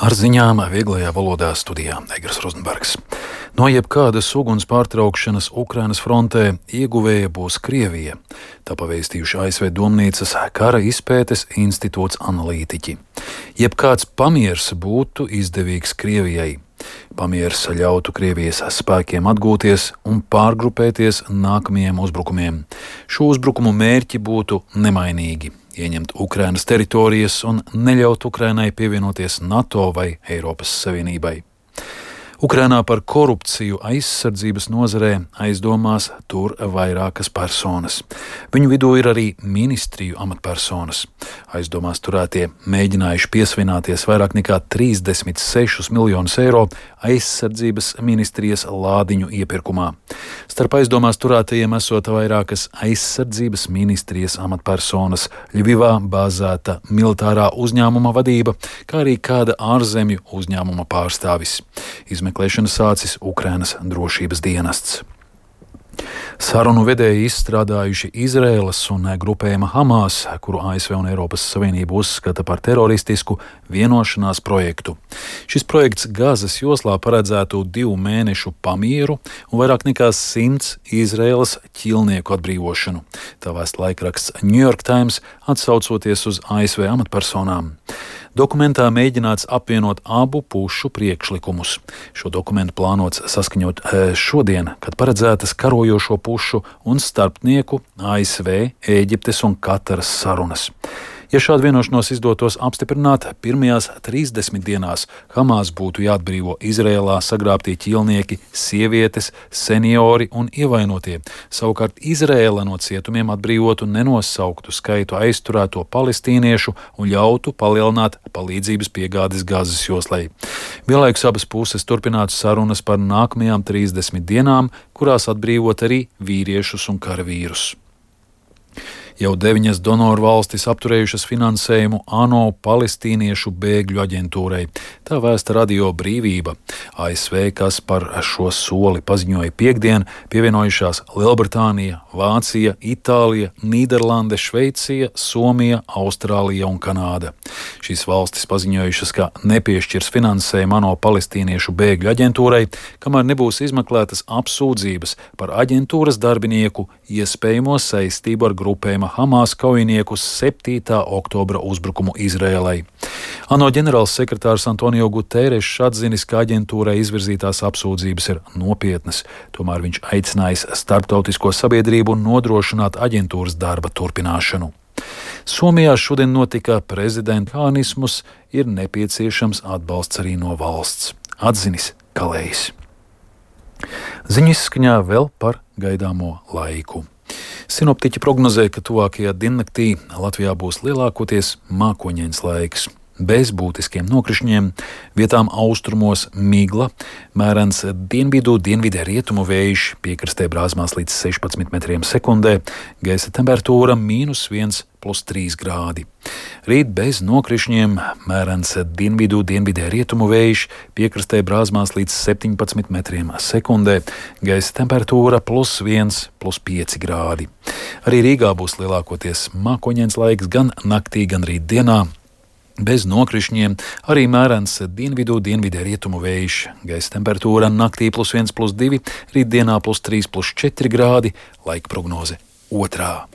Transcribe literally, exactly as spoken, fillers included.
Ar ziņām vieglajā valodā studijā Egers Rozenbergs. No jebkādas uguns pārtraukšanas Ukrainas frontē ieguvēja būs Krievija. Tā pavēstījuši A S V Domnīcas kara izpētes institūts analītiķi. Jebkāds pamiers būtu izdevīgs Krievijai. Pamiers ļautu Krievijas spēkiem atgūties un pārgrupēties nākamajiem uzbrukumiem. Šo uzbrukumu mērķi būtu nemainīgi – ieņemt Ukrainas teritorijas un neļaut Ukrainai pievienoties NATO vai Eiropas Savienībai. Ukrainā par korupciju aizsardzības nozarē aizdomās tur vairākas personas. Viņu vidū ir arī ministriju amatpersonas. Aizdomās turētie mēģinājuši piesvināties vairāk nekā trīsdesmit sešus miljonus eiro aizsardzības ministrijas lādiņu iepirkumā. Starp aizdomās turētajiem esot vairākas aizsardzības ministrijas amatpersonas, Ļvivā bāzēta militārā uzņēmuma vadība, kā arī kāda ārzemju uzņēmuma pārstāvis. Izmeklēšana sācis Ukrainas drošības dienests. Sarunu vedēji izstrādājuši Izraēlas un grupējuma Hamas, kuru A S V un Eiropas Savienība uzskata par teroristisku, vienošanās projektu. Šis projekts Gazas joslā paredzētu divu mēnešu pamieru un vairāk nekā simts Izraēlas ķīlnieku atbrīvošanu. Tā vēsta laikraksts New York Times, atsaucoties uz A S V amatpersonām. Dokumentā mēģināts apvienot abu pušu priekšlikumus. Šo dokumentu plānots saskaņot šodien, kad paredzētas karojošo pušu un starpnieku A S V, Ēģiptes un Kataras sarunas. Ja šādu vienošanos izdotos apstiprināt, pirmajās trīsdesmit dienās Hamas būtu jāatbrīvo Izrēlā sagrābtie ķīlnieki, sievietes, seniori un ievainotie. Savukārt Izrēla no cietumiem atbrīvotu nenosauktu skaitu aizturēto palestīniešu un ļautu palielināt palīdzības piegādes Gazas joslai. Vienlaikus abas puses turpinātu sarunas par nākamajām trīsdesmit dienām, kurās atbrīvot arī vīriešus un karavīrus. Jau deviņas donoru valstis apturējušas finansējumu ANO palestīniešu bēgļu aģentūrai. Tā vēsta Radio Brīvība. A S V, kas par šo soli paziņoja piektdien, pievienojušās Lielbritānija, Vācija, Itālija, Nīderlande, Šveicija, Somija, Austrālija un Kanāda. Šīs valstis paziņojušas, ka nepiešķirs finansējumu ANO palestīniešu bēgļu aģentūrai, kamēr nebūs izmeklētas apsūdzības par aģentūras darbinieku iespējamo saistību ar grupējumu Hamas kaujinieku septītā oktobra uzbrukumu Izrēlai. ANO ģenerāls sekretārs Antonio Guterres atzinis, ka aģentūrai izvirzītās apsūdzības ir nopietnas, tomēr viņš aicinājis starptautisko sabiedrību nodrošināt aģentūras darba turpināšanu. Somijā šodien notika prezidenta mehānismus, ir nepieciešams atbalsts arī no valsts, atzinis Kalējs. Ziņu izskaņā vēl par gaidāmo laiku. Sinoptiķi prognozē, ka tuvākajā diennaktī Latvijā būs lielākoties mākoņains laiks. Bez būtiskiem nokrišņiem, vietām austrumos migla, mērens dienvidu, dienvidē rietumu vējš, piekrastē brāzmās līdz sešpadsmit metriem sekundē, gaisa temperatūra mīnus viens plus trīs grādi. Rīt bez nokrišņiem, mērens dienvidu, dienvidē rietumu vējš, piekrastē brāzmās līdz septiņpadsmit metriem sekundē, gaisa temperatūra plus viens plus pieci grādi. Arī Rīgā būs lielākoties mākoņains laiks gan naktī, gan rīt dienā. Bez nokrišņiem, arī mērens dienvidu, dienvidē rietumu vējš, gaisa temperatūra naktī plus viens plus divi, rītdienā plus trīs plus četri grādi, laika prognoze otrā.